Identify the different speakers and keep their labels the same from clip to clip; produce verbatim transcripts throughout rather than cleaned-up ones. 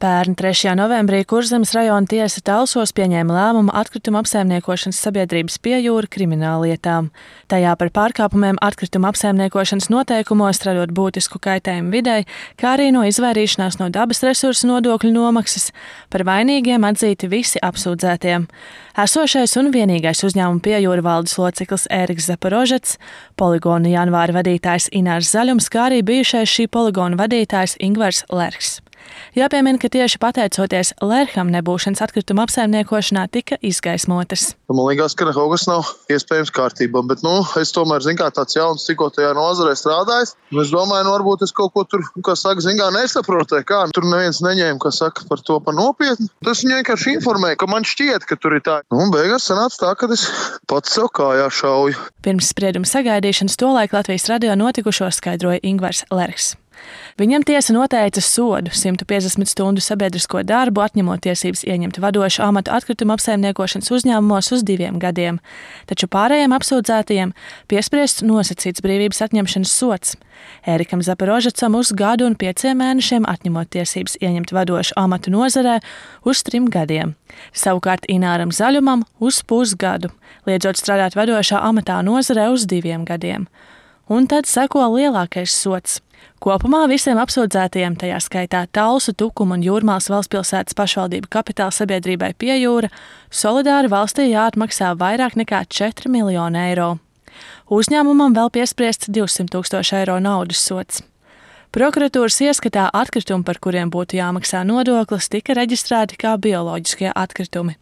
Speaker 1: Pērn trešajā novembrī Kurzemes rajona tiesa Talsos pieņēma lēmumu atkrituma apsaimniekošanas sabiedrības Piejūra krimināllietām. Tajā par pārkāpumiem atkrituma apsaimniekošanas noteikumos, radot būtisku kaitējumu videi, kā arī no izvairīšanās no dabas resursu nodokļu nomaksas, par vainīgiem atzīti visi apsūdzētie. Esošais un vienīgais uzņēmuma Piejūra valdes loceklis Ēriks Zaporožets, poligona janvāra vadītājs Inārs Zaļums, kā arī bijušais šī poligona vadītājs Ingvars Lerchs. Jāpiemina, ka tieši pateicoties Lercham nebūšanas atkrituma apsaimniekošanā tika izgaismotas.
Speaker 2: Man liekas, ka kaut kas nav iespējams kārtībā, bet nu, es tomēr, zin kā, tāds jauns tikko tajā nozarē strādājis. Es domāju, nu, varbūt es kaut ko tur, kā saka, zin kā, nesaprotu, kā tur neviens neņēma, kā saka, par to par nopietnu. Tas viņu vienkārši informēja, ka man šķiet, ka tur ir tā. Nu, un beigās sanāca tā, ka es pats sev kājā šauju.
Speaker 1: Pirms sprieduma sagaidīšanas tolaik Latvijas radio notikušo skaidroja Ingvars Lerchs. Viņam tiesa noteica sodu simt piecdesmit stundu sabiedrisko darbu, atņemot tiesības ieņemt vadošu amatu atkrituma apsaimniekošanas uzņēmumos uz diviem gadiem, taču pārējiem apsūdzētajiem piespriests nosacīts brīvības atņemšanas sods. Ērikam Zaporožecam uz gadu un pieciem mēnešiem atņemot tiesības ieņemt vadošu amatu nozarē uz trim gadiem. Savukārt Ināram Zaļumam uz pusgadu, liedzot strādāt vadošā amatā nozarē uz diviem gadiem. Un tad seko lielākais sods. Kopumā visiem apsūdzētajiem, tajā skaitā Talsu, Tukuma un Jūrmālas valstspilsētas pašvaldību kapitāla sabiedrībai Piejūra, solidāri valstī jāatmaksā vairāk nekā četri miljoni eiro. Uzņēmumam vēl piespriests divsimt tūkstoši eiro naudas sods. Prokuratūras ieskatā atkritumi, par kuriem būtu jāmaksā nodoklis, tika reģistrēti kā bioloģiskie atkritumi.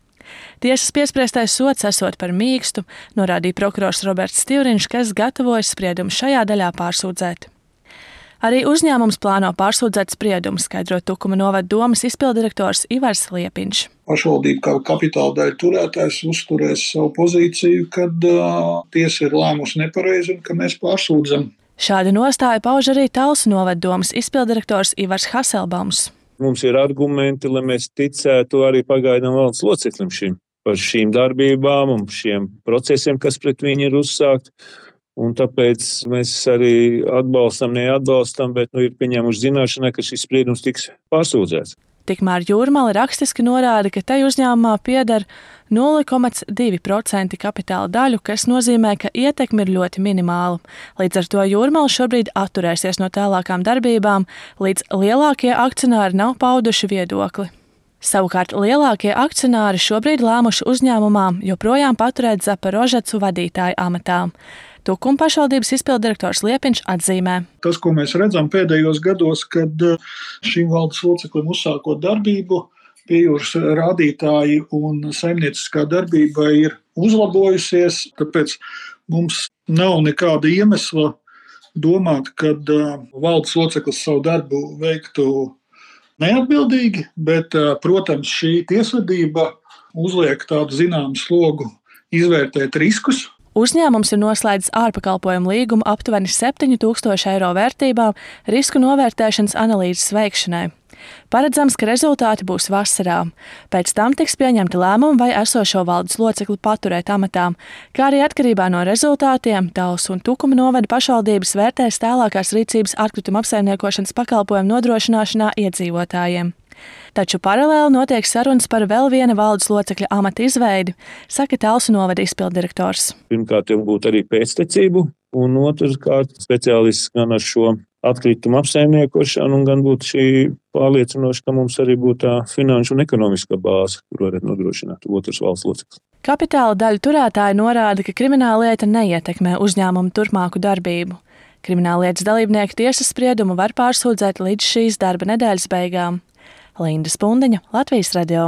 Speaker 1: Tiesas piespriestais sods esot par mīkstu, norādīja prokurors Roberts Stivriņš, kas gatavojas spriedumu šajā daļā pārsūdzēt. Arī uzņēmums plāno pārsūdzēt spriedumu, skaidro Tukuma novada domes izpildirektors Ivars Liepiņš.
Speaker 3: Pašvaldība kā kapitāla daļu turētājs uzturēs savu pozīciju, kad uh, tiesa ir lēmusi nepareizi un ka mēs pārsūdzam.
Speaker 1: Šādu nostāju pauž arī Talsu novada domes izpildirektors Ivars Haselbaums.
Speaker 4: Mums ir argumenti, lai mēs ticētu arī pagaidām valdes loceklim šim par šīm darbībām un šiem procesiem, kas pret viņu ir uzsākt. Un tāpēc mēs arī atbalstam, neatbalstam, bet nu, ir pieņēmuši zināšanai, ka šis spriedums tiks pārsūdzēts.
Speaker 1: Tikmēr Jūrmala rakstiski norāda, ka tai uzņēmumā pieder nulle komā divi procenti kapitāla daļu, kas nozīmē, ka ietekme ir ļoti minimāla. Līdz ar to Jūrmala šobrīd atturēsies no tālākām darbībām, līdz lielākie akcionāri nav pauduši viedokli. Savukārt lielākie akcionāri šobrīd lēmuši uzņēmumā joprojām paturēt Zaporožecu vadītāju amatā. Tukuma pašvaldības izpildirektors Liepiņš atzīmē.
Speaker 3: Tas, ko mēs redzam pēdējos gados, kad šim valdes loceklim uzsākot darbību, Piejūras rādītāji un saimnieciskā darbība ir uzlabojusies, tāpēc mums nav nekāda iemesla domāt, kad valdes loceklis savu darbu veiktu neatbildīgi, bet, protams, šī tiesvedība uzliek tādu zināmu slogu izvērtēt riskus.
Speaker 1: Uzņēmums ir noslēdzis ārpakalpojumu līgumu aptuveni septiņu tūkstošu eiro vērtībā risku novērtēšanas analīzes veikšanai. Paredzams, ka rezultāti būs vasarā. Pēc tam tiks pieņemti lēmumi, vai esošo valdes locekli paturēt amatā, kā arī atkarībā no rezultātiem Talsu un Tukuma novada pašvaldības vērtēs tālākās rīcības atkrituma apsaimniekošanas pakalpojumu nodrošināšanā iedzīvotājiem. Taču paralēli notiek sarunas par vēl viena valdes locekļa amata izveidi, saka Talsu novada izpildirektors.
Speaker 4: Pirmkārt, jau būtu arī pēctecību, un otrkārt speciālists gan ar šo atkritumu apsaimniekošanu, un gan būtu šī pārliecinoša, ka mums arī būtu tā finanšu un ekonomiskā bāze, kur varētu nodrošināt otrs valsts loceklis.
Speaker 1: Kapitāla daļu turētāji norāda, ka krimināllieta neietekmē uzņēmumu turpmāku darbību. Krimināllietas dalībnieku tiesas spriedumu var pārsūdzēt līdz šīs darba nedēļas beigām. Linda Spundiņa, Latvijas radio.